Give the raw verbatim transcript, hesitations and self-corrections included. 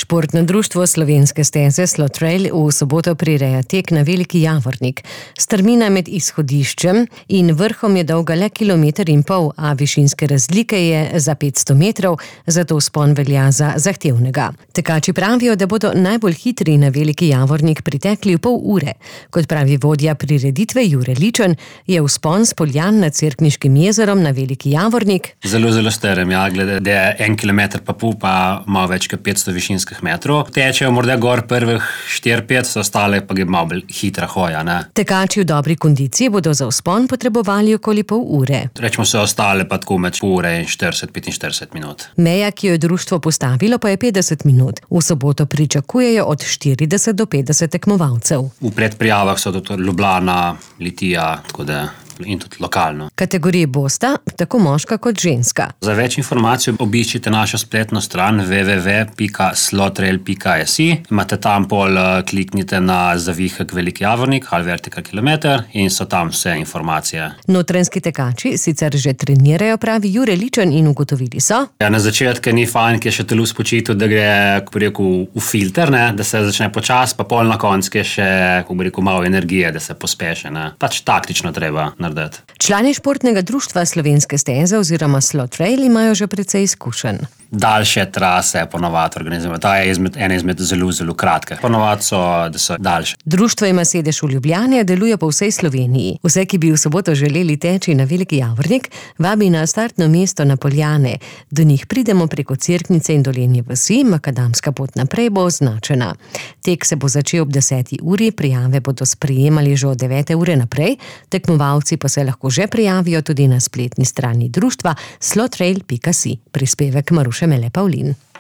Športno društvo Slovenske steze Slotrail v soboto prireja tek na Veliki Javornik. Strmina med izhodiščem in vrhom je dolga le kilometer in pol, a višinske razlike je za petsto metrov, zato vzpon velja za zahtevnega. Tekači pravijo, da bodo najbolj hitri na Veliki Javornik pritekli v pol ure. Kot pravi vodja prireditve Jure Ličen, je vzpon s Poljan nad Cerkniškim jezerom na Veliki Javornik Zelo, zelo strm, ja, glede, da je en kilometer pa pol, pa malo več kot petsto višinskih metrov. Tečejo morda gor prvih štiri pet, so ostale pa je malo bolj hitra hoja, ne. Tekači v dobri kondiciji bodo za vzpon potrebovali okoli pol ure. Rečemo se ostale pa tako med pol ure in štirideset do petinštirideset minut. Meja, ki jo je društvo postavilo, pa je petdeset minut. V soboto pričakujejo od štirideset do petdeset tekmovalcev. V predprijavah so tudi Ljubljana, Litija, tako da in tudi lokalno. Kategoriji bosta tako moška kot ženska. Za več informacij obiščite našo spletno stran w w w pika slotrail pika s i. Imate tam pol, kliknite na zavihek Veliki Javornik ali vertikal kilometer in so tam vse informacije. Notranjski tekači sicer že trenirajo, pravi Jure Ličen, in ugotovili so. Ja, na začetku ni fajn, ki je še telo spočitil, da gre, kako bi rekel, v filter, ne, da se začne počas, pa pol na koncu, ki je še, kako bi rekel, malo energije, da se pospeše, ne. Pač taktično treba narediti. Člani športnega društva Slovenske steze oziroma Slotrail imajo že precej izkušenj. Daljše trase ponovadi organiziramo. Ta je izmed, ena izmed zelo, zelo kratke. Ponovadi so, da so daljše. Društvo ima sedež v Ljubljani, deluje po vsej Sloveniji. Vse, ki bi v soboto želeli teči na Veliki Javornik, vabi na startno mesto na Poljane. Do njih pridemo preko Cerknice in Dolenje vasi, makadamska pot naprej bo označena. Tek se bo začel ob deseti uri, prijave bodo sprejemali že od devete ure naprej, tekmovalci pa se lahko že prijavijo tudi na spletni strani društva slotrail pika si. Prispevek Maruše Mele Pavlin.